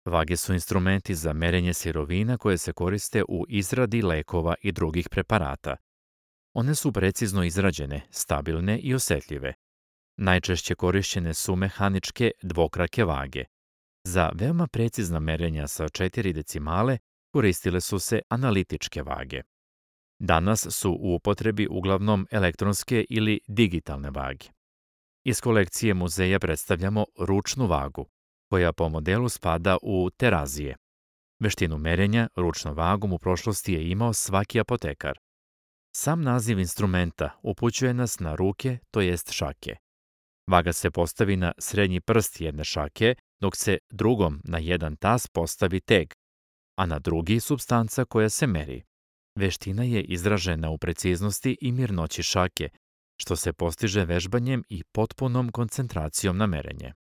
Vage su instrumenti za merenje sirovina koje se koriste u izradi lekova i drugih preparata. One su precizno izrađene, stabilne i osetljive. Najčešće korišćene su mehaničke dvokrake vage. Za veoma precizna merenja sa 4 decimale koristile su se analitičke vage. Danas su u upotrebi uglavnom elektronske ili digitalne vage. Iz kolekcije muzeja predstavljamo ručnu vagu, koja po modelu spada u terazije. Veštinu merenja ručnom vagom u prošlosti je imao svaki apotekar. Sam naziv instrumenta upućuje nas na ruke, to jest šake. Vaga se postavi na srednji prst jedne šake, dok se drugom na jedan tas postavi teg, a na drugi supstanca koja se meri. Veština je izražena u preciznosti i mirnoći šake, što se postiže vežbanjem i potpunom koncentracijom na merenje.